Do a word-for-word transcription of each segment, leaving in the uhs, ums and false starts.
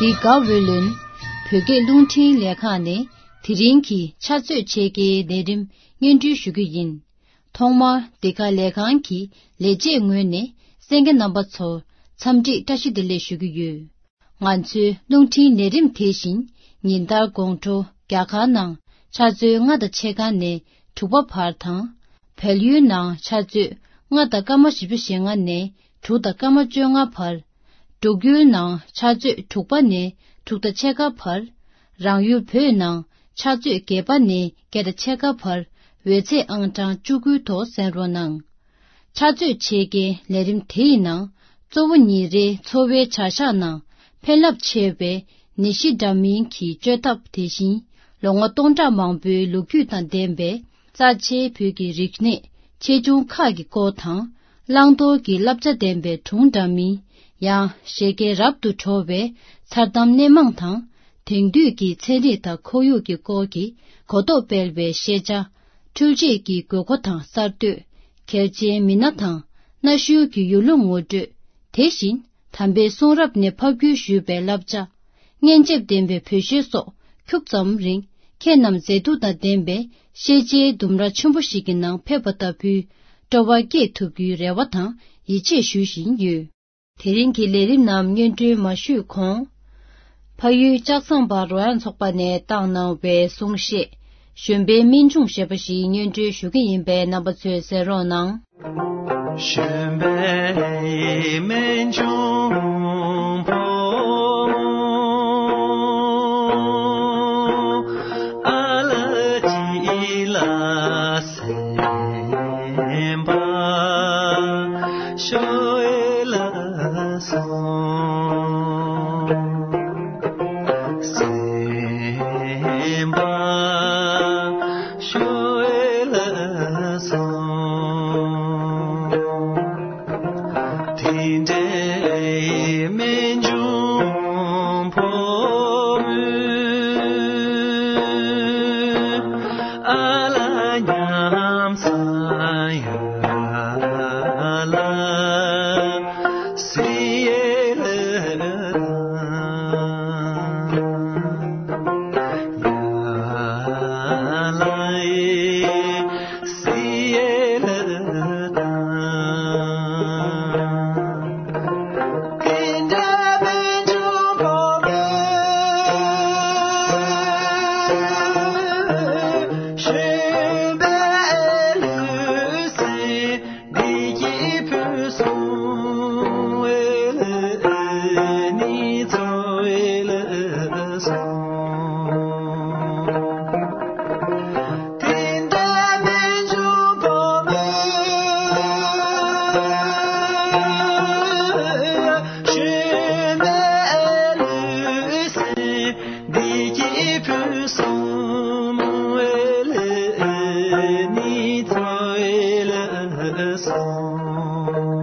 འདི་ག་ཝེ་ལོན་བོད་སྐད་རླུང་འཕྲིན་ལས་ཁང་ནས་དེ་རིང་གི་ཕྱག་ཚོད་ཕྱེད་ཀའི་ལས་རིམ་སྙན་སྒྲོན་ཞུ་རྒྱུ་ཡིན། ཐོག་མར་འདི་ག་ལས་ཁང་གི་ལས་བྱེད་ངོས་ནས་གསན་མཁན་རྣམ་པ་ཚོར་འཚམས་འདྲི་བཀྲ་ཤིས་བདེ་ལེགས་ཞུ་གི་ཡོད། ང་ཚོའི་རླུང་འཕྲིན་ལས་རིམ་དེ་བཞིན་ཉིན་ལྟར་དགོང་དྲོ་རྒྱ་གར་ནང་ཆུ་ཚོད་ལྔ་དང་ཕྱེད་ཀ་ནས་དྲུག་པ་བར་དང་། བལ་ཡུལ་ནང་ཆུ་ཚོད་ལྔ་དང་སྐར་མ་བཞི་བཅུ་ཞེ་ལྔ་ནས་དྲུག་དང་སྐར་མ་བཅོ་ལྔ་བར། འབྲུག་ཡུལ་ནང་ཆུ་ཚོད་དྲུག་པ་ནས་དྲུག་དང་ཕྱེད་ཀ་བར། རང་ཡུལ་བོད་ནང་ཆུ་ཚོད་བརྒྱད་པ་ནས་བརྒྱད་དང་ཕྱེད་ཀ་བར་འོད་ཚད་ཨང་གྲངས་བཅུ་དགུའི་ཐོག་གསན་རོགས་གནང་། ཕྱག་ཚོད་ཕྱེད་ཀའི་ལས་རིམ་དེའི་ནང་གཙོ་བོ་ཉིན་རེའི་འཚོ་བའི་བྱ་གཞག་ནང་ཕན་རླབས་ཆེ་བའི་ནད་གཞི་འདྲ་མིན་གྱི་བཅོས་ཐབས། དེ་བཞིན་ལོ་ངོ་སྟོང་ཕྲག་མང་པོའི་ལོ་རྒྱུས་དང་ལྡན་པའི་རྩ་ཆེའི་བོད་ཀྱི་རིག་གནས་ཆེ་ཆུང་ཁག་གི་སྐོར་དང་། བླང་དོར་གྱི་བསླབ་བྱ་ལྡན་པའི་སྒྲུང་འདྲ་མིན། ཡང་བཞད་གད་རབ་ཏུ་བྲོ་བའི་མཚར་གཏམ་སྣེ་མང་དང་། དེང་དུས་ཀྱི་ཚན་རིག་དང་ཁོར་ཡུག་གི་སྐོར་གྱི་གོ་རྟོགས་སྤེལ་བའི་ཤེས་བྱ། འཕྲུལ་ཆས་ཀྱི་དགོས་མཁོ་དང་གསར་གཏོད། གལ་ཆེའི་མི་སྣ་དང་གནའ་ཤུལ་གྱི་ཡུལ་ལུང་ངོ་སྤྲོད། དེ་བཞིན་དམ་པའི་གསུང་རབ་ནས་ཕབ་བསྒྱུར་ཞུས་པའི་བསླབ་བྱ། སྙན་འཇེབས་ལྡན་པའི་བོད་གཞས་སོགས་ཁྱུག་ཙམ་རིང་ཁྱེད་རྣམས་མཛེས་སྡུག་དང་ལྡན་པའི་ཤེས་བྱའི་ལྡུམ་ར་ཆེན་པོ་ཞིག་གི་ནང་ཕེབས་པ་ལྟ་བུའི་སྤྲོ་བ་སྐྱེས་ཐུབ་རྒྱུའི་རེ་བ་དང་ཡིད་ཆེས་ཞུ་བཞིན་ཡོད། དེ་རིང་གི་ལས་རིམ་རྣམས་སྙན་སྒྲོན་མ་ཞུས་གོང་། ཕ་ཡུལ་ལྕགས་ཟམ་པ་རོལ་དབྱངས་ཚོགས་པ་ནས་བཏང་གནང་བའི་གསུང་བཤད། གཞོན་པའི་སྨན་ལྗོངས་ཞེས་པ་ཞིག་སྙན་སྒྲོན་ཞུ་གི་ཡིན་པས་རྣམ་པ་ཚོས་གསན་རོགས་གནང་། གཞོན་པའི་སྨན་ལྗོངས་ཕོ་མོ་ཨ་ལ་ཅི་ལ་སེམས་པ་ཤོ་ཨེ་ལ་སོང་། སེམས་པ་ཤོ་ཨེ་ལ་སོང་། དེ་འདྲའི་སྨན་ལྗོངས་ཕོ་མོ་ཨ་ལ་ཉམས་སུ་ཡ་ལ་སི་ཨེ་ལ་ཡ་ལ་ཨེ། སི་ཨེ་ལ་དང་། དེ་འདྲ་མི་འབྱུང་བ་མེད། གཞོན་པའི་ལུས་སེམས་བདེ་སྐྱིད་ཕུན་སུམ་ཚོགས་ཨེ་ལ་ནི་ཚོགས་ཨེ་ལ་སོང་། དེ་འདྲ་མི་འབྱུང་བ་མེད། གཞོན་པའི་ལུས་སེམས་བདེ་སྐྱིད་ཕུན་སུམ་ཚོགས་ཨེ་ལ་ནི་ཚོགས་ཨེ་ལ་སོང་།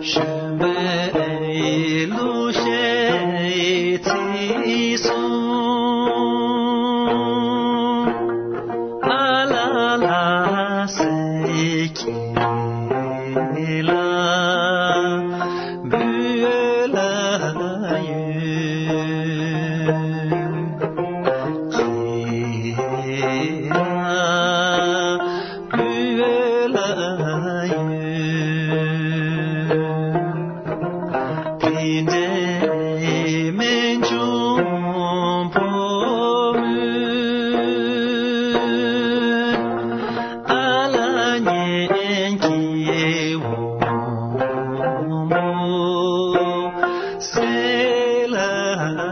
གཞོན་པའི་གླུ་གཞས་ཚིག་གསུམ་ཨ་ལ་ལ་ཟེར་གྱིན་ལ། འབུལ་ལ་ཡོད། ཁྱེད་ལ་འབུལ་ལ་ཡོད། དེ་འདྲའི་སྨན་ལྗོངས་ཕོ་མོ་ཨ་ལ་ཉན་གྱི་འོ་མོ་སེ་ལ་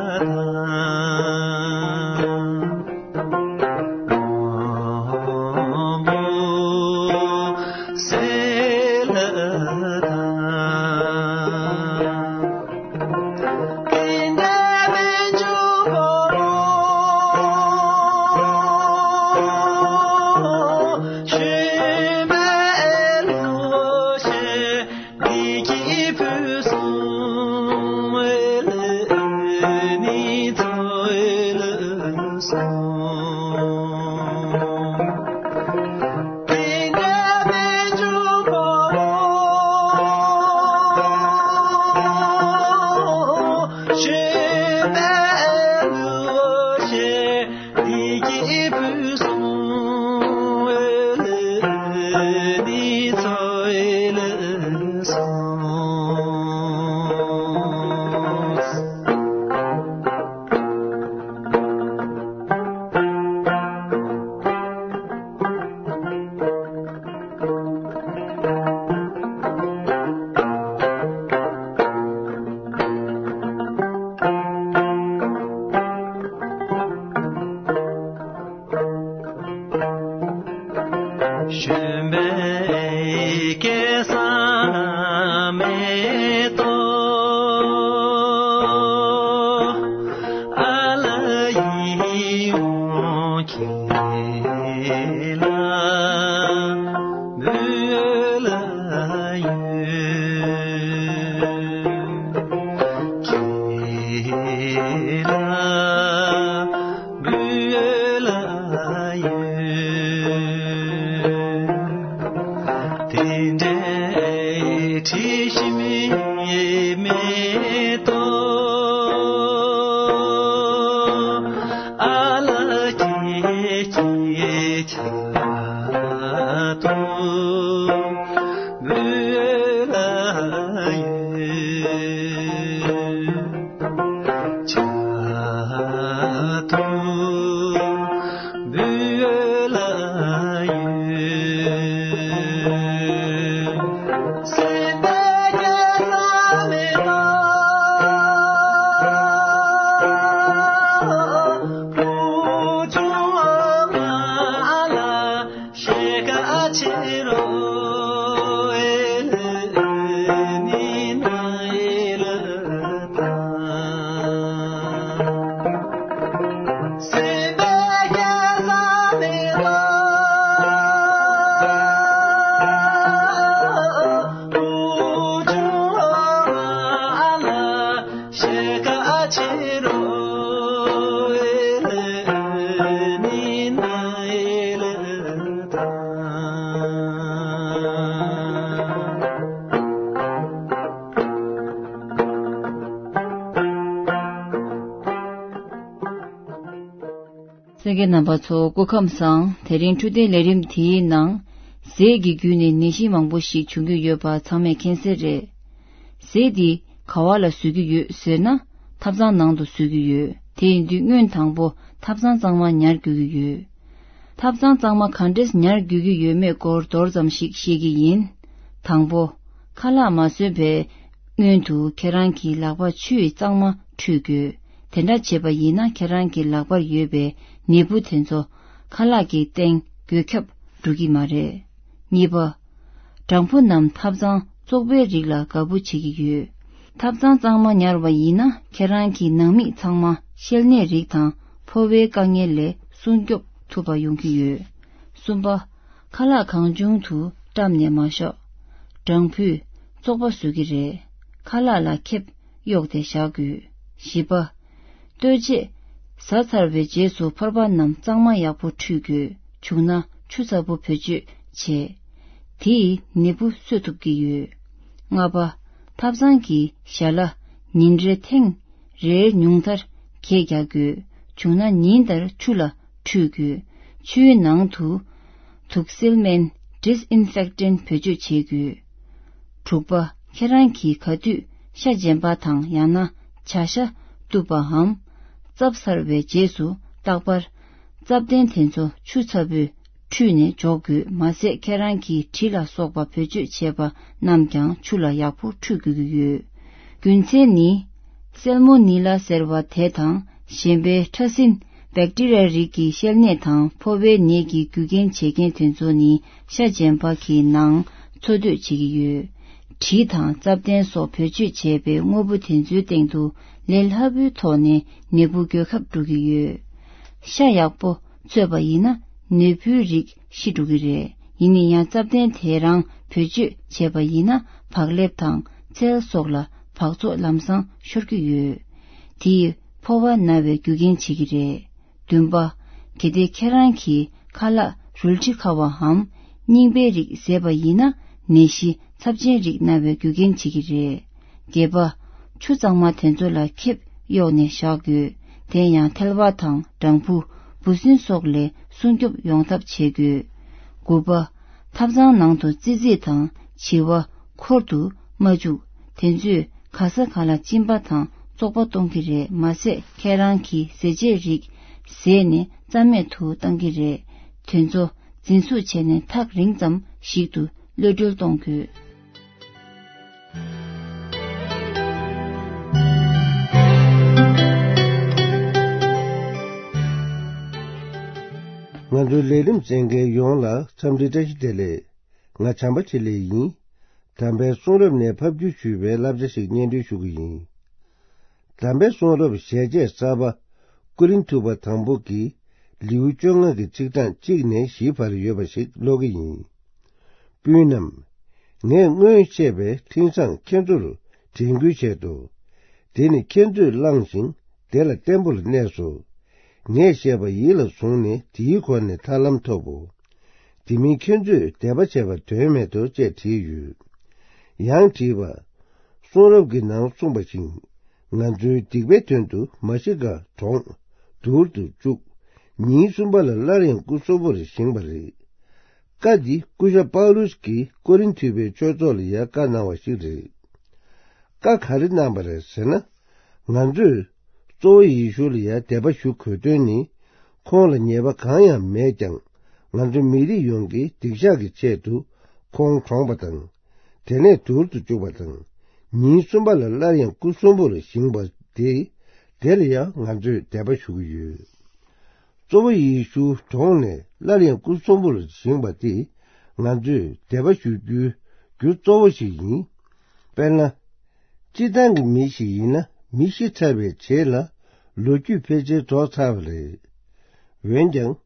དང་། འོ་མོ་སེ། སྐལ་བཟང་མེ་ཏོག་ཨ་ལ་ཡིད་འོང་ཁྱེད་ལ་འབུལ་ལ་ཡོད། ཁྱེད་ལ་འབུལ་ལ་ཡོད། དེ་འདྲའི་དྲི་ཞིམ་མེ་ཏོག་ཨ་ལ་སྐྱེ་སྐྱེ་ཆ་དུ་འབུལ་ལ་ཡོད། ཆ་དུ་འབུལ་ལ་ཡོད། སེམས་པའི་སྐལ་བཟང་མེ་ཏོག་བུ་ཆུང་མ་ལ། ཤེ་ཀ་ཆེ་རོ་ཨེ་ལེ་ནི་ན་ཨེ་ལེ་ད། སེམས་པའི་སྐལ་བཟང་མེ་ཏོག་བུ་ཆུང་མ་ལ། ཤེ་ཀ་ཆེ་རོ་ཨེ་ལེ་ནི་ན་ཨེ་ལེ་ད། གསན་མཁན་རྣམ་པ་ཚོ་སྐུ་ཁམས་བཟང་། དེ་རིང་འཕྲོད་བསྟེན་ལས་རིམ་དེའི་ནང་ཟས་ཀྱི་བརྒྱུད་ནས་ནད་གཞི་མང་པོ་ཞིག་འབྱུང་གི་ཡོད་པ་ཚང་མས་མཁྱེན་གསལ་རེད། ཟས་འདི་ག་བ་ལ་བཟོ་གི་ཡོད་ཟེར་ན། ཐབ་ཚང་ནང་དུ་བཟོ་གི་ཡོད། དེ་ཡིན་དུས་སྔོན་དང་པོ་ཐབ་ཚང་གཙང་མ་ཉར་དགོས་ཀྱི་ཡོད། ཐབ་ཚང་གཙང་མ་ག་འདྲས་ཉར་དགོས་ཀྱི་ཡོད་མེད་སྐོར་མདོར་ཙམ་ཞིག་བཤད་ཀྱི་ཡིན། དང་པོ། ཁ་ལག་མ་བཟོས་པའི་སྔོན་དུ་ཁྱེད་རང་གི་ལག་པ་ཆུ་ཡིས་གཙང་མ་འཁྲུད་དགོས། དེ་འདྲ་བྱས་པ་ཡིན་ན་ཁྱེད་རང་གི་ལག་པར་ཡོད་པའི་ནད་འབུ་དེ་ཚོ་ཁ་ལག་གི་སྟེང་འགོས་ཁྱབ་འགྲོ་གི་མ་རེད། གཉིས་པ། སྦྲང་བུ་རྣམས་ཐབ་ཚང་བཙོག་པའི་རིགས་ལ་དགའ་པོ་བྱེད་ཀྱི་ཡོད། ཐབ་ཚང་གཙང་མ་ཉར་བ་ཡིན་ན་ཁྱེད་རང་གི་ནང་མི་ཚང་མ་བཤལ་ནད་རིགས་དང་ཕོ་བའི་དཀའ་ངལ་ལས་སྲུང་སྐྱོབ་ཐུབ་པ་ཡོང་གི་ཡོད། གསུམ་པ། ཁ་ལག་གང་བྱུང་དུ་བཀྲམ་ནས་མ་བཞག་སྦྲང་བུས་བཙོག་པ་བཟོ་གི་རེད། ཁ་ལག་ལ་ཁེབས་གཡོགས་ཏེ་བཞག་དགོས། བཞི་པ། ལྟོས་བཅས་ཟ་ཚར་བའི་རྗེས་སུ་ཕོར་པ་རྣམས་གཙང་མ་ཡག་པོ་འཁྲུད་དགོས། བྱུང་ན་ཆུ་ཚ་པོ་བེད་སྤྱོད་བྱས། དེ་ཡིས་ནད་འབུ་གསོད་ཐུབ་ཀྱི་ཡོད། ལྔ་པ། ཐབ་ཚང་གི་ཞལ་ལ་ཉིན་རེ་ཐེངས་རེར་ཉུང་མཐར་གད་རྒྱག་དགོས། བྱུང་ན་ཉིན་ལྟར་ཆུ་ལ་འཁྲུད་དགོས། ཆུའི་ནང་དུ་དུག་སེལ་སྨན་disinfectant བེད་སྤྱོད་བྱེད་དགོས། དྲུག་པ། ཁྱེད་རང་གིས་ག་དུས་ཤ་རྗེན་པ་དང་ཡང་ན་བྱ་ཤ་གཏུབ་པའམ་བཙབས་ཚར་བའི་རྗེས་སུ་རྟག་པར་བཙབ་གདན་དེ་ཚོ་ཆུ་ཚ་པོས་འཁྲུད་ནས་འཇོག་དགོས། མ་ཟད་ཁྱེད་རང་གིས་གྲི་ལ་སོགས་པ་བེད་སྤྱོད་བྱས་པ་རྣམས་ཀྱང་ཆུ་ལ་ཡག་པོ་འཁྲུད་དགོས་ཀྱི་ཡོད། རྒྱུ་མཚན་ནི། སེལ་མོ་ནི་ལ་ཟེར་བ་དེ་དང་གཞན་པའི་ཕྲ་སྲིན་བེག་ཏི་རི་ཡ་རིགས་ཀྱི་བཤལ་ནད་དང་ཕོ་བའི་ནད་ཀྱི་རྒྱུ་རྐྱེན་བྱེད་མཁན་དེ་ཚོ་ནི་ཤ་རྗེན་པ་གི་ནང་འཚོ་སྡོད་བྱེད་ཀྱི་ཡོད། གྲི་དང་བཙབ་གདན་སོགས་བེད་སྤྱོད་བྱས་པའི་དངོས་པོ་དེ་ཚོའི་སྟེང་དུ་ལས་སླ་པོའི་ཐོག་ནས་ནད་འབུ་འགོས་ཁབ་འགྲོ་གི་ཡོད། ཤ་ཡག་པོ་འཚོས་པ་ཡིན་ན་ནད་འབུའི་རིགས་ཤི་འགྲོ་གི་རེད། ཡིན་ན་ཡང་བཙབ་གདན་དེ་རང་བེད་སྤྱོད་བྱས་པ་ཡིན་ན་བག་ལེབ་དང་ཚལ་སོགས་ལ་འབག་བཙོག་ལམ་སང་ཤོར་གྱི་ཡོད། དེ་ཡིས་ཕོ་བ་ན་བའི་རྒྱུ་རྐྱེན་བྱེད་ཀྱི་རེད། བདུན་པ། གལ་ཏེ་ཁྱེད་རང་གིས་ཁ་ལག་རུལ་དྲི་ཁ་བའམ་རྙིང་པའི་རིགས་བཟས་པ་ཡིན་ན་ནད་གཞི་ཚབས་ཆེན་རིགས་ན་བའི་རྒྱུ་རྐྱེན་བྱེད་ཀྱི་རེད། བརྒྱད་པ། ཆུ་གཙང་མ་དེ་ཚོ་ལ་ཁེབས་གཡོགས་ནས་བཞག་དགོས། དེ་ཡང་ཐལ་བ་དང་སྦྲང་བུ། འབུ་སྲིན་སོགས་ལས་སྲུང་སྐྱོབ་ཡོང་ཐབས་བྱེད་དགོས། དགུ་པ། ཐབ་ཚང་ནང་དུ་ཙི་ཙི་དང་བྱི་བ་འཁོར་དུ་མ་བཅུག་དེ་ཚོས་ག་ས་ག་ལ་གཅིན་པ་དང་བཙོག་པ་གཏོང་གི་རེད། མ་ཟད་ཁྱེད་རང་གིས་ཟས་བཅད་རིགས་བཟས་ནས་རྩ་མེད་དུ་བཏང་གི་རེད། དེ་ཚོ་འཛིན་བཟུང་བྱས་ནས་ཐག་རིང་ཙམ་ཞིག་ཏུ་གློད་གྲོལ་གཏོང་དགོས། ང་ཚོའི་ལས་རིམ་གསན་མཁན་ཡོངས་ལ་འཚམས་འདྲི་བཀྲ་ཤིས་བདེ་ལེགས། ང་བྱམས་པ་ཆེ་ལེགས་ཡིན། དམ་པའི་གསུང་རབ་ནས་ཕབ་བསྒྱུར་ཞུས་པའི་བསླབ་བྱ་ཞིག་སྙན་སྒྲོན་ཞུ་གི་ཡིན། དམ་པའི་གསུང་རབ་ཞལ་ཆད་གསར་པ་ཀོ་རིན་ཐུ་པ་དང་པོ་གི་ལེའུ་བཅོ་ལྔ་གི་ཚིག་གྲངས་གཅིག་ནས་བཞིའི་བར་ཡོད་པ་ཞིག་ཀློག་གི་ཡིན། སྤུན་རྣམས། ངས་སྔོན་བཤད་པའི་འཕྲིན་བཟང་ཁྱེད་ཚོར་དྲན་སྐུལ་བྱས་འདུག་དེ་ནི་ཁྱེད་ཚོས་བླངས་ཤིང་དེ་ལ་བརྟན་པོར་གནས་སོ། ངས་བཤད་པ་ཡིད་ལ་བཟུང་ནས་དེའི་སྒོ་ནས་ཐར་ལམ་ཐོབ་བོ། དེ་མིན་ཁྱེད་ཚོས་དད་པ་བྱས་པ་དོན་མེད་དོ་ཅེས་བྲིས་ཡོད། ཡང་བྲིས་པ། གསུང་རབ་ཀྱི་ནང་གསུངས་པ་བཞིན། ང་ཚོའི་སྡིག་པའི་དོན་དུ་མ་ཤི་ཀ་གྲོངས། དུར་དུ་བཅུག་ཉིན་གསུམ་པ་ལ་སླར་ཡང་སྐུ་གསོན་པོར་བཞེངས་པ་རེད། བཀའ་འདི་སྐུ་ཞབས་པའུ་ལུས་ཀྱིས་ཀོ་རིན་ཐུ་པའི་ཆོས་ཚོགས་ལ་ཡང་བཀའ་གནང་བ་ཞིག་རེད། བཀའ་ག་རེ་གནང་བ་རེད་ཟེར་ན། ང་ཚོས་གཙོ་བོ་ཡེ་ཤུ་ལ་ཡང་དད་པ་ཞུ་དགོས་དོན་ནི། ཁོང་ལ་ཉེས་པ་གང་ཡང་མེད་ཀྱང་། ང་ཚོ་མི་རིགས་ཡོངས་ཀྱི་སྡིག་བཤགས་ཀྱི་ཆེད་དུ་ཁོང་གྲོངས་པ་དང་། དེ་ནས་དུར་དུ་བཅུག་པ་དང་། ཉིན་གསུམ་པ་ལ་སླར་ཡང་སྐུ་གསོན་པོར་བཞེངས་པ་དེ། དེ་ལ་ཡང་ང་ཚོས་དད་པ་ཞུ་གི་ཡོད། གཙོ་བོ་ཡེ་ཤུ་གྲོངས་ནས་སླར་ཡང་སྐུ་གསོན་པོར་བཞེངས་པ་དེ་ང་ཚོས་དད་པ་ཞུ་རྒྱུའི་རྒྱུ་གཙོ་བོ་ཞིག་ཡིན། དཔེར་ན། སྤྱིར་བཏང་གི་མི་ཞིག་ཡིན་ན་མི་ཤི་ཚར་བའི་རྗེས་ལ་ལོ་རྒྱུས་ཕལ་ཆེར་རྫོགས་ཚར་བ་རེད། འོན་ཀྱང་།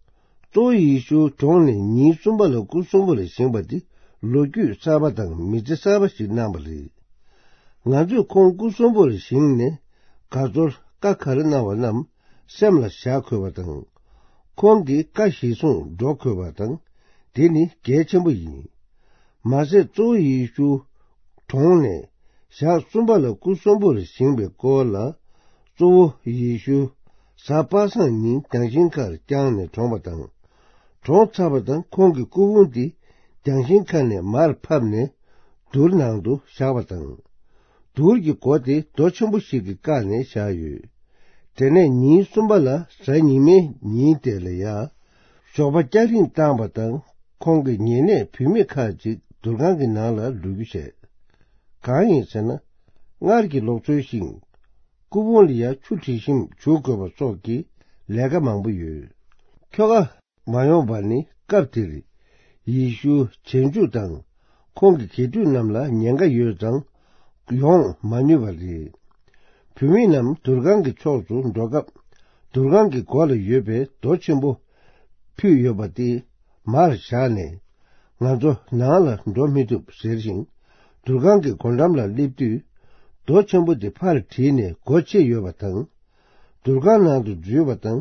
གཙོ་བོ་ཡེ་ཤུ་གྲོངས་ནས་ཉིན་གསུམ་པ་ལ་སྐུ་གསོན་པོར་བཞེངས་པ་འདི་ལོ་རྒྱུས་གསར་པ་དང་མི་ཚེ་གསར་པ་ཞིག་གནང་བ་རེད། ང་ཚོས་ཁོང་སྐུ་གསོན་པོར་བཞེངས་ནས་དགའ་ཚོར་བཀའ་ག་རེ་གནང་བ་རྣམས། སེམས་ལ་བཞག་དགོས་པ་དང་། ཁོང་གི་བཀའ་གཞིར་བཟུང་འགྲོ་དགོས་པ་དང་། དེ་ནི་གལ་ཆེན་པོ་ཡིན། མ་ཟད་གཙོ་བོ་ཡེ་ཤུ་གྲོངས་ནས་ཞག་གསུམ་པ་ལ་སྐུ་གསོན་པོར་བཞེངས་པའི་སྐོར་ལ། གཙོ་བོ་ཡེ་ཤུ་གཟའ་པ་སངས་ཉིན་རྒྱང་ཤིང་ཁར་བརྐྱངས་ནས་གྲོངས་པ་དང་། གྲོངས་ཚར་བ་དང་ཁོང་གི་སྐུ་ཕུང་དེ་རྒྱང་ཤིང་ཁ་ནས་མར་ཕབ་ནས་དུར་ནང་དུ་བཞག་པ་དང་། དུར་གྱི་སྒོ་དེ་རྡོ་ཆེན་པོ་ཞིག་གིས་བཀག་ནས་བཞག་ཡོད། དེ་ནས་ཉིན་གསུམ་པ་ལ་གཟའ་ཉི་མའི་ཉིན་དེ་ལ་ཡང་ཞོགས་པ་སྐྱ་རིང་བཏང་བ་དང་ཁོང་གི་ཉེ་གནས་བུད་མེད་ཁག་ཅིག་དུར་ཁང་གི་ནང་ལ་ལོག་རྒྱུ་བྱས། གང་ཡིན་ཟེར་ན། སྔར་གྱི་ལུགས་སྲོལ་བཞིན་སྐུ་ཕུང་ལ་ཡང་ཆུ་དྲི་ཞིམ་བྱུག་དགོས་པ་སོགས་ཀྱི་ལས་ཀ་མང་པོ་ཡོད། ཁྱོ་ག་མ་ཡོང་བ་ནི་སྐབས་དེར་ཡེ་ཤུ་རྗེས་འཇུག་དང་ཁོང་གི་དགེ་ཕྲུག་རྣམས་ལ་ཉེན་ཁ་ཡོད་ཙང་ཡོང་མ་ནུས་པ་རེད། བུད་མེད་རྣམས་དུར་ཁང་གི་ཕྱོགས་སུ་འགྲོ་སྐབས་དུར་ཁང་གི་སྒོ་ལ་ཡོད་པའི་རྡོ་ཆེན་པོ་ཕུད་ཡོད་པ་དེ་མར་བཞག་ནས་ང་ཚོ་ནང་ལ་འགྲོ་མི་ཐུབ་ཟེར་ཞིང་དུར་ཁང་གི་སྒོ་འགྲམ་ལ་སླེབས་དུས་རྡོ་ཆེན་པོ་དེ་ཕར་བྲིས་ནས་སྒོ་ཕྱེ་ཡོད་པ་དང་། དུར་ཁང་ནང་དུ་འཛུལ་བ་དང་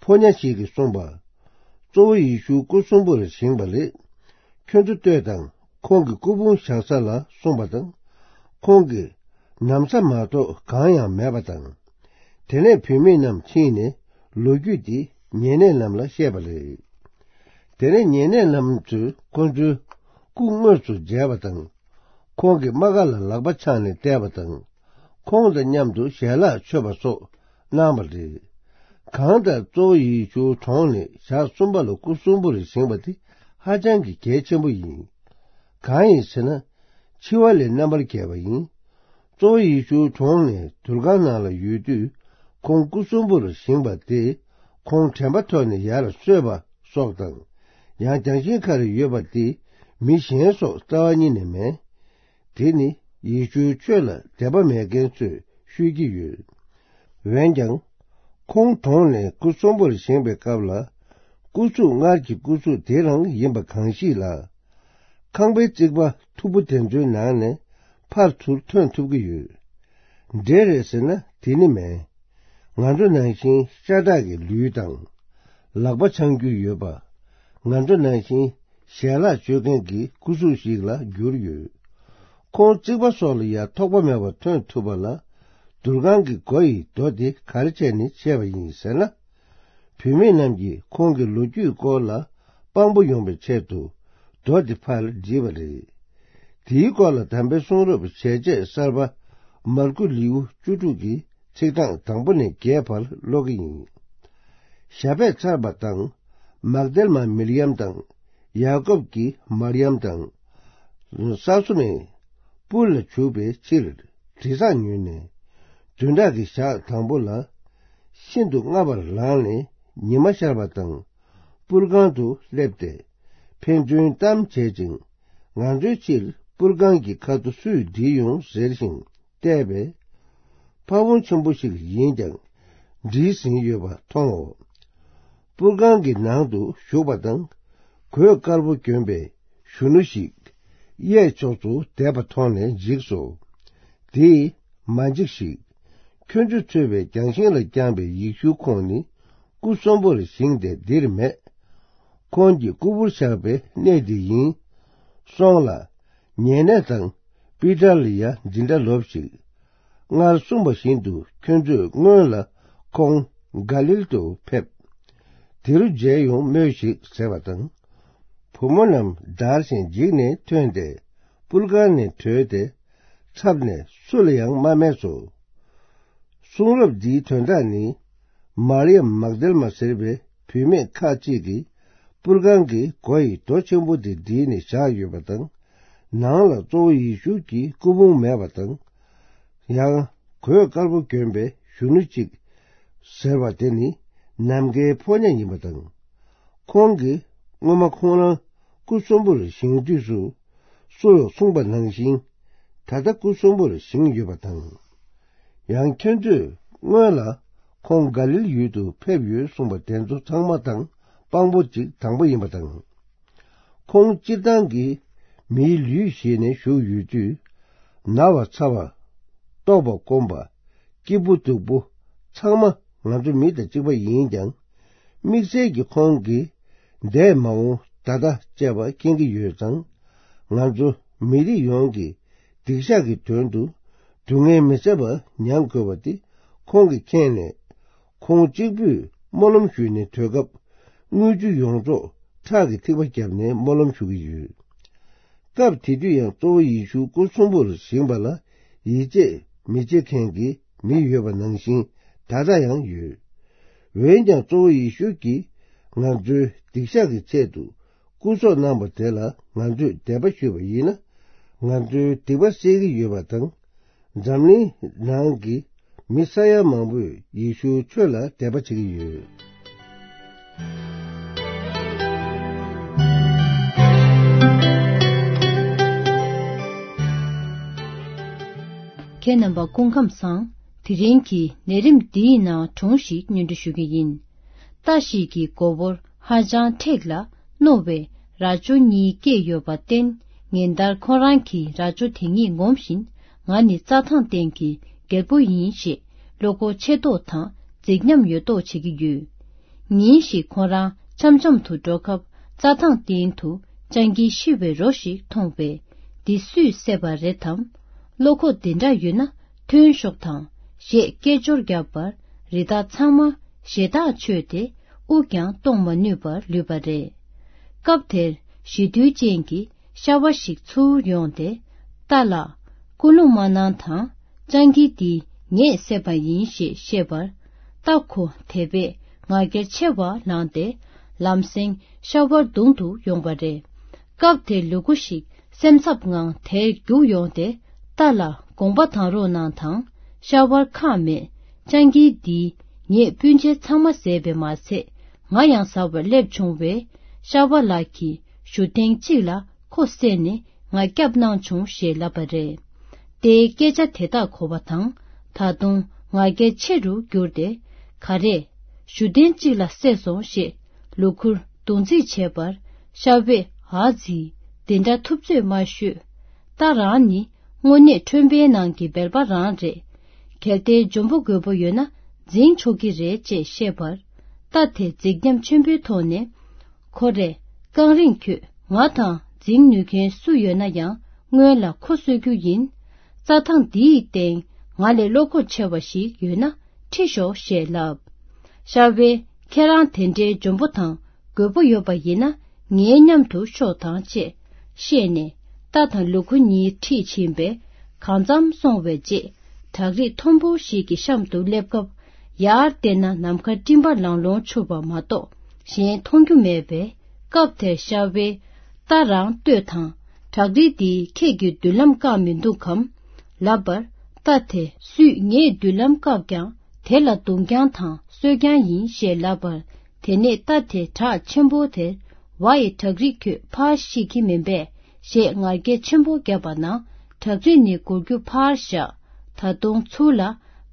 ཕོ་ཉ་ཞིག་གིས་གསུངས་པ། གཙོ་བོ་ཡེ་ཤུ་སྐུ་གསོན་པོར་བཞེངས་པ་རེད། ཁྱོད་ཚོ་ལྟོས་དང་ཁོང་གི་སྐུ་ཕུང་བཞག་ས་ལ་གསུངས་པ་དང་། ཁོང་གི་ན་བཟའ་མ་གཏོགས་གང་ཡང་མེད་པ་དང་། དེ་ནས་བུད་མེད་རྣམས་ཕྱིན་ནས་ལོ་རྒྱུས་དེ་ཉེ་གནས་རྣམས་ལ་བཤད་པ་རེད། དེ་ནས་ཉེ་གནས་རྣམས་ཚོས་ཁོ་ཚོའི་སྐུ་དངོས་སུ་མཇལ་བ་དང་། ཁོང་གི་རྨ་ཁ་ལ་ལག་པ་འཆང་ནས་བལྟས་པ་དང་། ཁོང་དང་མཉམ་དུ་ཞལ་ལག་མཆོད་པ་སོགས་གནང་བ་རེད། གང་ལྟར་གཙོ་བོ་ཡེ་ཤུ་གྲོངས་ནས་ཞག་གསུམ་པ་ལ་སྐུ་གསོན་པོར་བཞེངས་པ་དེ་ཧ་ཅང་གི་གལ་ཆེན་པོ་ཡིན། གང་ཡིན་ཟེར་ན། འཆི་བ་ལས་རྣམ་པར་རྒྱལ་བ་ཡིན། གཙོ་བོ་ཡེ་ཤུ་གྲོངས་ནས་དུར་ཁང་ནང་ལ་ཡོད་དུས་ཁོང་སྐུ་གསོན་པོར་བཞེངས་པ་དེ་ཁོང་དྲན་པ་ཐོག་ནས་ཡར་གསོས་པ་སོགས་དང་། ཡང་རྒྱང་ཤིང་ཁར་ཡོད་པ་དེ་མི་གཞན་སོགས་རྩ་བ་ཉིད་ནས་མེད། དེ་ནི་ཡེ་ཤུའི་ཆོས་ལ་དད་པ་མེད་མཁན་ཚོས་ཤོད་ཀྱི་ཡོད། འོན་ཀྱང་། ཁོང་གྲོངས་ནས་སྐུ་གསོན་པོར་བཞེངས་པའི་སྐབས་ལ། སྐུ་གཟུགས་སྔར་གྱི་སྐུ་གཟུགས་དེ་རང་ཡིན་པ་གང་ཞིག་ལ། ཁང་པའི་རྩིག་པ་མཐུག་པོ་དེ་ཚོའི་ནང་ནས་ཕར་ཚུར་ཐོན་ཐུབ་ཀྱི་ཡོད། འདྲེ་རེད་ཟེར་ན་དེ་ནི་མེད། ང་ཚོ་ནང་བཞིན་ཤ་ཁྲག་གི་ལུས་དང་། ལག་པ་འཆང་རྒྱུ་ཡོད་པ། ང་ཚོ་ནང་བཞིན་ཞལ་ལག་མཆོད་མཁན་གྱི་སྐུ་གཟུགས་ཤིག་ལ་གྱུར་ཡོད། ཁོང་རྩིག་པ་སོགས་ལ་ཡང་ཐོགས་པ་མེད་པར་ཐོན་ཐུབ་པ་ལ། དུར་ཁང་གི་སྒོ་ཡི་རྡོ་དེ་ག་རེ་བྱས་ནས་ཕྱེ་བ་ཡིན་ཟེར་ན། བུད་མེད་རྣམས་ཀྱིས་ཁོང་གི་ལོ་རྒྱུས་སྐོར་ལ་དཔང་པོ་ཡོང་བའི་ཆེད་དུ་རྡོ་དེ་ཕར་བསྒྲིལ་བ་རེད། དེའི་སྐོར་ལ་དམ་པའི་གསུང་རབ་ཞལ་ཆད་གསར་པ་མར་ཁུ་ལེའུ་བཅུ་དྲུག་གི་ཚིག་གྲངས་དང་པོ་ནས་བརྒྱད་བར་ཀློག་གི་ཡིན། ཞབས་པད་ཚར་བ་དང་། མག་དལ་མ་མིར་ཡམ་དང་། ཡ་ཀོབ་ཀྱི་མར་ཡམ་དང་། ས་སོ་མའི་སྤུར་ལ་བྱུག་པའི་ཕྱིར་དྲི་བཟང་ཉོས་ནས། བདུན་ཕྲག་གི་ཞག་དང་པོ་ལ། ཤིན་ཏུ་སྔ་བར་ལངས་ནས་ཉི་མ་ཤར་བ་དང་། སྤུར་ཁང་དུ་སླེབས་ཏེ། ཕན་ཚུན་གཏམ་བྱེད་ཅིང་། ང་ཚོའི་ཕྱིར་པུར་ཁང་གི་ཁ་ཐུག་སུས་བསྒྲིལ་ཡོང་ཟེར་ཞིང་བལྟས་པས། ཕ་བོང་ཆེན་པོ་ཞིག་ཡིན་ཀྱང་བསྒྲིལ་ཟིན་ཡོད་པ་མཐོང་ངོ་། པུར་ཁང་གི་ནང་དུ་ཞུགས་པ་དང་། གོས་དཀར་པོ་གྱོན་པའི་གཞོན་ནུ་ཞིག་གཡས་ཕྱོགས་སུ་བསྡད་པ་མཐོང་ནས་འཇིགས་སོ། དེས་མ་འཇིགས་ཤིག། ཁྱོད་ཚོས་འཚོལ་བའི་རྒྱང་ཤིང་ལ་བརྐྱངས་པའི་ཡེ་ཤུ་ཁོང་ནི་སྐུ་གསོན་པོར་བཞེངས་ཏེ་འདིར་མེད། ཁོང་གི་སྐུ་ཕུར་བཞག་པའི་གནས་འདི་ཡིན། སོང་ལ། ཉེ་གནས་དང་པི་ཏར་ལ་ཡང་འདི་འདྲ་ལབ་ཤིག། སྔར་གསུངས་པ་བཞིན་དུ་ཁྱོད་ཚོས་སྔོན་ལ་ཁོང་ག་ལིལ་དུ་ཕེབས། དེ་རུ་མཇལ་ཡོང་སྨྲོས་ཤིག་ཟེར་བ་དང་། བུ་མོ་རྣམས་འདར་ཞིང་འཇིགས་ནས་ཐོན་ཏེ་པུར་ཁང་ནས་བྲོས་ཏེ་འཚབ་ནས་སུ་ལ་ཡང་མ་སྨྲས་སོ། གསུང་རབ་འདིའི་དོན་དག་ནི། མར་ཡམ་མག་དལ་མ་ཟེར་བའི་བུད་མེད་ཁ་ཅིག་གིས་པུར་ཁང་གི་སྒོ་ཡི་རྡོ་ཆེན་པོ་དེ་བསྒྲིལ་ནས་བཞག་ཡོད་པ་དང་། ནང་ལ་གཙོ་བོ་ཡེ་ཤུ་གི་སྐུ་ཕུང་མེད་པ་དང་། ཡང་གོས་དཀར་པོ་གྱོན་པའི་གཞོན་ནུ་གཅིག་ཟེར་བ་དེ་ནི་ནམ་མཁའི་ཕོ་ཉ་ཡིན་པ་དང་། ཁོང་གིས་སྔོན་མ་ཁོང་རང་སྐུ་གསོན་པོར་བཞེངས་དུས་སུ་སུ་ཡང་གསུངས་པ་ནང་བཞིན་ད་ལྟ་སྐུ་གསོན་པོར་བཞེངས་ཡོད་པ་དང་། ཡང་ཁྱོད་ཚོས་སྔོན་ལ་ཁོང་ག་ལིལ་ཡུལ་དུ་ཕེབས་ཡོད་གསུངས་པ་དེ་ཚོ་ཚང་མ་དང་དཔང་པོ་གཅིག་དང་པོ་ཡིན་པ་དང་། ཁོང་སྤྱིར་བཏང་གི་མིའི་ལུས་བཞེས་ནས་བཞུགས་ཡོད་དུས། ན་བ་ཚ་བ། ལྟོགས་པ་སྐོམ་པ། སྐྱིད་པོ་སྡུག་པོ། ཚང་མ་ང་ཚོ་མི་དང་གཅིག་པ་ཡིན་ཀྱང་། དམིགས་བསལ་གྱི་ཁོང་གིས་འདས་མ་འོངས་ད་ལྟ་བཅས་པ་མཁྱེན་གྱི་ཡོད་ཙང་། ང་ཚོ་མི་རིགས་ཡོངས་ཀྱི་སྡིག་བཤགས་ཀྱི་དོན་དུ་སྡུག་བསྔལ་མི་བཟད་པ་མྱང་དགོས་པ་དེ་ཁོང་གིས་མཁྱེན་ནས། ཁོང་གཅིག་པུས་སྨོན་ལམ་ཞུས་ནས་དུས་སྐབས་དངུལ་ཆུ་ཡོངས་རྫོགས་ཁྲག་གི་ཐིགས་པ་བརྒྱབ་ནས་སྨོན་ལམ་ཞུ་གི་ཡོད། སྐབས་དེ་དུས་ཡང་གཙོ་བོ་ཡེ་ཤུ་སྐུ་གསོན་པོར་བཞེངས་པ་ལ་ཡིད་ཆེས་མི་བྱེད་མཁན་གྱི་མི་ཡོད་པ་ནང་བཞིན་ད་ལྟ་ཡང་ཡོད། འོན་ཀྱང་གཙོ་བོ་ཡེ་ཤུ་གིས་ང་ཚོའི་སྡིག་བཤགས་ཀྱི་ཆེད་དུ་སྐུ་སྲོག་གནང་བ་དེ་ལ་ང་ཚོས་དད་པ་ཞུས་པ་ཡིན་ན། ང་ཚོའི་སྡིག་པ་སེལ་གྱི་ཡོད་པ་དང་། འཛམ་གླིང་ནང་གི་མི་ས་ཡ་མང་པོས་ཡེ་ཤུའི་ཆོས་ལ་དད་པ་བྱེད་ཀྱི་ཡོད། ཁྱེད་རྣམ་པ་སྐུ་ཁམས་བཟང་། དེ་རིང་གི་ལས་རིམ་འདིའི་ནང་སྒྲུང་ཞིག་སྙན་སྒྲོན་ཞུ་གི་ཡིན། རྟ་ཞིག་གི་མགོ་བོར་ཧ་ཅང་མཁྲེགས་ལ་རྣོ་བའི་རྭ་ཅོ་གཉིས་སྐྱེས་ཡོད་པར་བརྟེན། ཉིན་ལྟར་ཁོ་རང་གིས་རྭ་ཅོ་དེ་གཉིས་ངོམ་བཞིན། ང་ནི་རྩྭ་ཐང་སྟེང་གི་རྒྱལ་པོ་ཡིན་ཞེས་བློ་ཁོག་ཆེ་མདོག་དང་རྫིག་ཉམས་ཡོད་མདོག་བྱེད་ཀྱི་ཡོད། ཉིན་ཞིག་ཁོ་རང་འཆམ་འཆམ་དུ་འགྲོ་སྐབས་རྩྭ་ཐང་སྟེང་དུ་སྤྱང་ཀི་ཤི་བའི་རོ་ཞིག་མཐོང་བས། འདི་སུས་བསད་པ་རེད་དམ། བློ་ཁོག་འདི་འདྲ་ཡོད་ན་ཐོན་ཤོག་དང་ཞེས་སྐད་ཅོར་བརྒྱབ་པར། རི་དྭགས་ཚང་མ་ཞེ་ཐག་ཆོད་དེ་དབུགས་ཀྱང་གཏོང་མ་ནུས་པར་ལུས་པ་རེད། སྐབས་དེར་ཞི་དུལ་ཅན་གྱི་ཤ་བ་ཞིག་ཚུར་ཡོང་སྟེ། རྟ་ལགས། སྐུལ་སློང་མ་གནང་དང་། སྤྱང་ཀི་འདི་ངས་བསད་པ་ཡིན་ཞེས་བཤད་པར། རྟ་ཁོ་དེ་བས་ང་རྒྱལ་ཆེ་བ་ལངས་ཏེ། ལམ་སེང་ཤ་བར་རྡུང་དུ་ཡོང་བ་རེད། སྐབས་དེར་ལུ་གུ་ཞིག་སེམས་འཚབ་ངང་དེར་རྒྱུགས་ཡོང་སྟེ། རྟ་ལ་དགོངས་པ་དང་རོགས་གནང་དང་། ཤ་བར་ཁག་མེད། སྤྱང་ཀི་འདིས་ངེད་སྤུན་མཆེད་ཚང་མ་བཟས་པས་མ་ཚད། ང་ཡང་ཟ་བར་སླེབས་བྱུང་བས། ཤ་བ་ལགས་ཀྱིས་གཞུ་ལྡན་གཅིག་ལ་ཁོ་བསད་ནས་ང་སྐྱབས་གནང་བྱུང་ཞེས་ལབ་པ་རེད། རྟའི་སྐད་ཆ་དེ་དག་གོ་བ་དང་། ད་དུང་ང་རྒྱལ་ཆེ་རུ་གྱུར་ཏེ། ག་རེ། གཞུ་ལྡན་གཅིག་ལ་བསད་སོང་ཞེས་ལུ་གུར་རྡུང་རྩིས་བྱས་པར། ཤ་བས། ཨ་ཙི། དེ་འདྲ་ཐུབ་ཚོད་མ་ཤོད། རྟ་རང་ནི་དངོས་གནས་ཁྲོན་པའི་ནང་གི་སྦལ་པ་རང་རེད། གལ་ཏེ་འཇོན་པོ་རྒོད་པོ་ཡོད་ན་འཛིང་ཆོག་གི་རེད་ཅེས་བཤད་པར། རྟ་དེ་རྫིག་ཉམས་ཆེན་པོའི་ཐོག་ནས། ཁོ་རེ། རྐང་རིང་ཁྱོད་ང་དང་འཛིང་ནུས་མཁན་སུ་ཡོད་ན་ཡང་སྔོན་ལ་ཁོ་གསོད་རྒྱུ་ཡིན། རྩྭ་ཐང་འདིའི་སྟེང་ང་ལས་བློ་ཁོག་ཆེ་བ་ཞིག་ཡོད་ན་ཁྲིད་ཤོག་ཞེས་ལབ། ཤ་བས་ཁྱེད་རང་དེ་འདྲའི་འཇོན་པོ་དང་རྒོད་པོ་ཡོད་པ་ཡིན་ན་ངའི་མཉམ་དུ་ཤོག་དང་ཅེས་བཤད་ནས། རྟ་དང་ལུ་གུ་གཉིས་ཁྲིད་ཕྱིན་པས། གང་འཚམ་སོང་བའི་རྗེས། བྲག་རིས་མཐོན་པོ་ཞིག་གི་གཤམ་དུ་སླེབས་སྐབས། ཡར་བལྟས་ན་ནམ་མཁའ་སྤྲིན་པ་ལང་ལོང་འཕྱུར་བ་མ་གཏོགས་གཞན་མཐོང་རྒྱུ་མེད་པས། སྐབས་དེར་ཤ་བས། རྟ་རང་ལྟོས་དང་། བྲག་རིས་འདིས་ཁྱེད་ཀྱི་མདུན་ལམ་བཀག་མི་འདུག་གམ། ལབ་པར། རྟ་དེ་སུས་ངའི་མདུན་ལམ་བཀག་ཀྱང་དེ་ལ་རྡུང་རྐྱང་དང་གསོད་རྐྱང་ཡིན་ཞེས་ལབ་པར། དེ་ནས་རྟ་དེ་བྲག་ཆེན་པོ་དེར། ཝའི་བྲག་རིས་ཁྱོད་ཕར་ཤེས་ཀྱི་མིན་པས། ཞེས་ངར་སྐད་ཆེན་པོ་བརྒྱབ་པ་ན། དྲག་རྩལ་ནི་འགུལ་རྒྱུ་ཕར་བཞག་ད་དུང་ཚུར་ལ་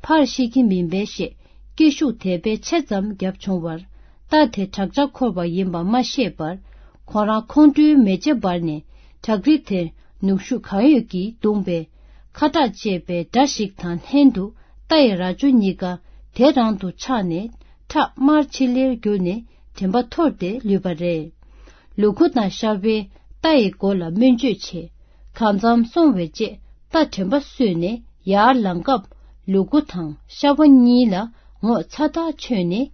ཕར་ཤེས་ཀྱི་མིན་པས་ཞེས་སྐད་ཤུགས་དེ་བས་ཆེ་ཙམ་བརྒྱབ་བྱུང་བར། རྟ་དེ་བྲག་ཅ་འཁོར་བ་ཡིན་པ་མ་ཤེས་པར། ཁོ་རང་ཁོང་ཁྲོའི་མེ་ལྕེ་འབར་ནས་བྲག་རི་དེར་ནུབ་ཤུགས་གང་ཡོད་ཀྱིས་བརྡུངས་པས། ཁ་གྲག་ཅེས་པའི་སྒྲ་ཞིག་དང་ལྷན་དུ་རྟ་ཡི་རྭ་ཅོ་གཉིས་ཀ་དེ་རང་དུ་ཆག་ནས་ཁྲག་དམར་ཆིལ་ལེར་གྱུར་ནས་དྲན་པ་འཐོར་ཏེ་ལུས་པ་རེད། ལུ་གུ་དང་ཤ་བས་རྟ་ཡི་མགོ་ལ་སྨན་བཅོས་བྱས། གང་འཚམ་སོང་བའི་རྗེས་རྟ་དྲན་པ་གསོས་ནས་ཡར་ལངས་སྐབས་ལུ་གུ་དང་ཤ་བ་གཉིས་ལ་ངོ་ཚ་ཐག་ཆོད་ནས།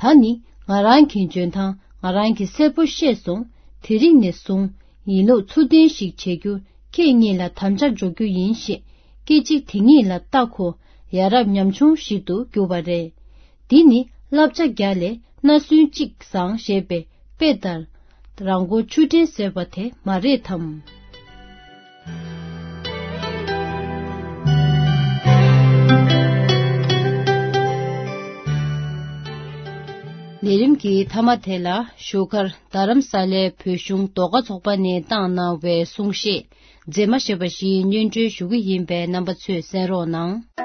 ད་ནི་ང་རང་གི་འཇོན་ཐང་ང་རང་གིས་གསལ་པོ་ཤེས་སོང་། དེ་རིང་ནས་བཟུང་ཡིན་ལུགས་ཚུལ་ལྡན་ཞིག་བྱེད་རྒྱུར་ཁྱེད་གཉིས་ལ་དམ་བཅའ་འཇོག་རྒྱུ་ཡིན་ཞེས་སྐད་ཅིག་དེ་ཉིད་ལ་རྟ་ཁོ་ཡ་རབས་ཉམ་ཆུང་ཞིག་ཏུ་གྱུར་པ་རེད། འདི་ནི་བསླབ་བྱ་བརྒྱ་ལས་སྣ་སུན་གཅིག་བཟང་ཞེས་པའི་དཔེ་ལྟར། རང་མགོ་ཆུ་འདྲེན་ཟེར་བ་དེ་མ་རེད་དམ། ལས་རིམ་གྱི་མཐའ་མ་དེ་ལ་བཞུགས་སྒར་རྡ་རམ་ས་ལའི་བོད་གཞུང་ཟློས་གར་ཚོགས་པ་ནས་བཏང་གནང་བའི་གསུང་བཤད་མཛེས་མ་ཞེས་པ་ཞིག་སྙན་སྒྲོན་ཞུ་གི་ཡིན་པས་རྣམ་པ་ཚོས་གསན་རོགས་གནང་།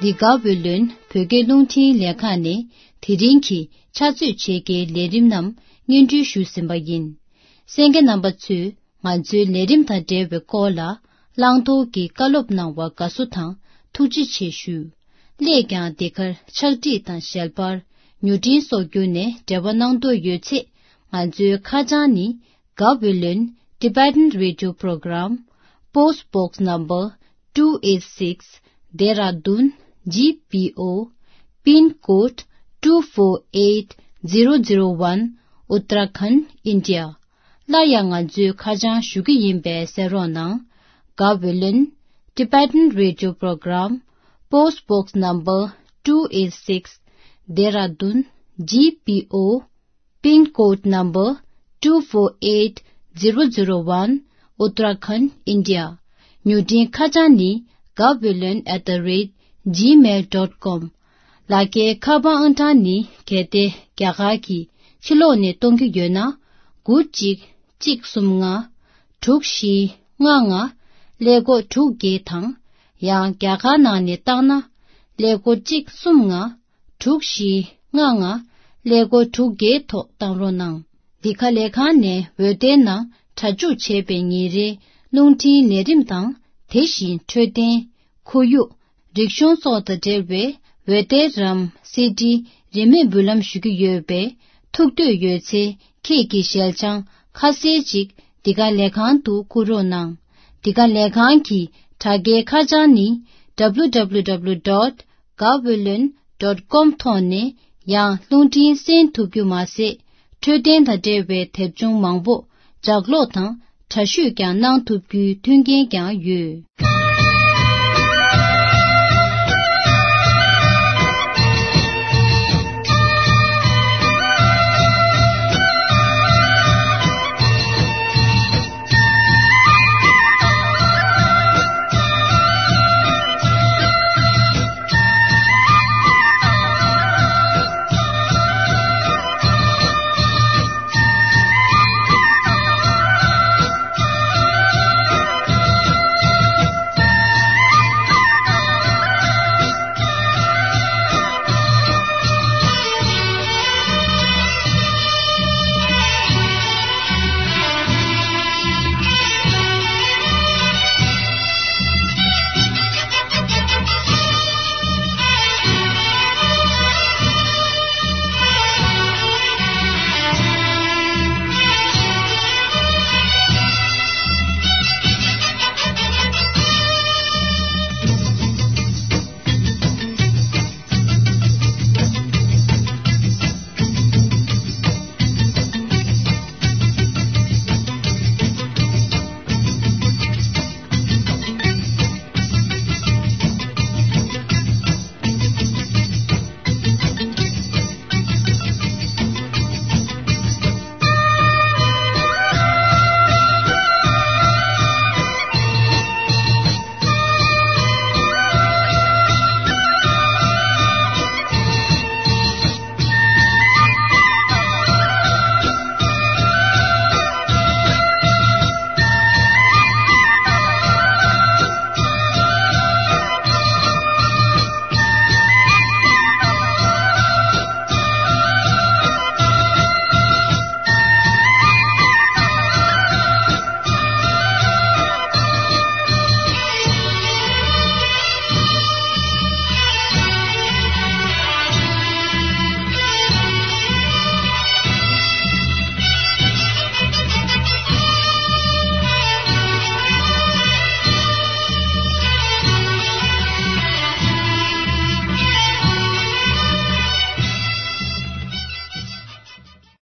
འདི་ག་བོད་ལུན་བོད་སྐད་རླུང་འཕྲིན་ལས་ཁང་ནས་དེ་རིང་གི་ཕྱག་ཚོད་ཕྱེད་ཀའི་ལས་རིམ་རྣམས་སྙན་སྒྲོན་ཞུས་ཟིན་པ་ཡིན། གསན་མཁན་རྣམ་པ་ཚོས་ང་ཚོའི་ལས་རིམ་དང་འབྲེལ་བའི་སྐོར་ལ་བླང་དོར་གྱི་བཀའ་སློབ་གནང་བར་དགའ་བསུ་དང་ཐུགས་རྗེ་ཆེ་ཞུ། སླད་ཀྱང་འདི་གར་ཕྱག་བྲིས་དང་ཞལ་པར་མྱུར་འཕྲིན་སོགས་བརྒྱུད་ནས་འབྲེལ་བ་གནང་འདོད་ཡོད་ཚེ་ང་ཚོའི་ཁ་བྱང་ནི། Gaweylon Tibetan Radio Program, Post Box Number two eight six, Dehradun G P O, pin code two four eight zero zero one, Uttarakhand, India. སླར་ཡང་ང་ཚོས་ཁ་བྱང་ཞུ་གི་ཡིན་པས་གསན་རོགས་གནང་། Gaweylon Tibetan Radio Program, Post Box Number two eight six, Dehradun G P O, pin code number two four eight zero zero one, Uttarakhand, India. མྱུར་འཕྲིན་ཁ་བྱང་ནི་gaweylon at the rate gmail dot com། ལག་འཁྱེར་ཁ་པར་ཨང་གྲངས་ནི་གལ་ཏེ་རྒྱ་གར་གྱི་ཕྱི་ལོགས་ནས་གཏོང་རྒྱུ་ཡོད་ན། དགུ་གཅིག་གཅིག་གསུམ་ལྔ་དྲུག་བཞི་ལྔ་ལྔ་ཀླད་ཀོར་དྲུག་བརྒྱད་དང་། ཡང་རྒྱ་གར་ནང་ནས་བཏང་ན། ཀླད་ཀོར་གཅིག་གསུམ་ལྔ་དྲུག་བཞི་ལྔ་ལྔ་ཀླད་ཀོར་དྲུག་བརྒྱད་ཐོག་བཏང་རོགས་གནང་། འདི་ག་ལས་ཁང་ནས་འོད་སྡེར་ནང་སྒྲ་འཇུག་བྱས་པའི་ཉིན་རེའི་རླུང་འཕྲིན་ལས་རིམ་དང་། དེ་བཞིན་འཕྲོད་བསྟེན། ཁོར་ཡུག་རིག་གཞུང་སོགས་དང་འབྲེལ་བའི་འོད་སྡེར་རམ་སི་ཌི་རིན་མེད་འབུལ་ལམ་ཞུ་རྒྱུ་ཡོད་པས། ཐུགས་འདོད་ཡོད་ཚེ་ཁྱེད་ཀྱི་ཞལ་བྱང་ཁ་གསལ་ཅིག་འདི་ག་ལས་ཁང་དུ་བསྐུར་རོགས་གནང་། འདི་ག་ལས་ཁང་གི་དྲ་རྒྱའི་ཁ་བྱང་ནི་W W W dot gaweylon dot com ཐོག་ནས་ཡང་རླུང་འཕྲིན་གསན་ཐུབ་རྒྱུ་མ་ཟད། འཕྲོད་བསྟེན་དང་འབྲེལ་བའི་དེབ་ཆུང་མང་པོ་ལྗགས་ཀློག་དང་དྲ་བཤུས་ཀྱང་གནང་ཐུབ་རྒྱུའི་མཐུན་རྐྱེན་ཀྱང་ཡོད།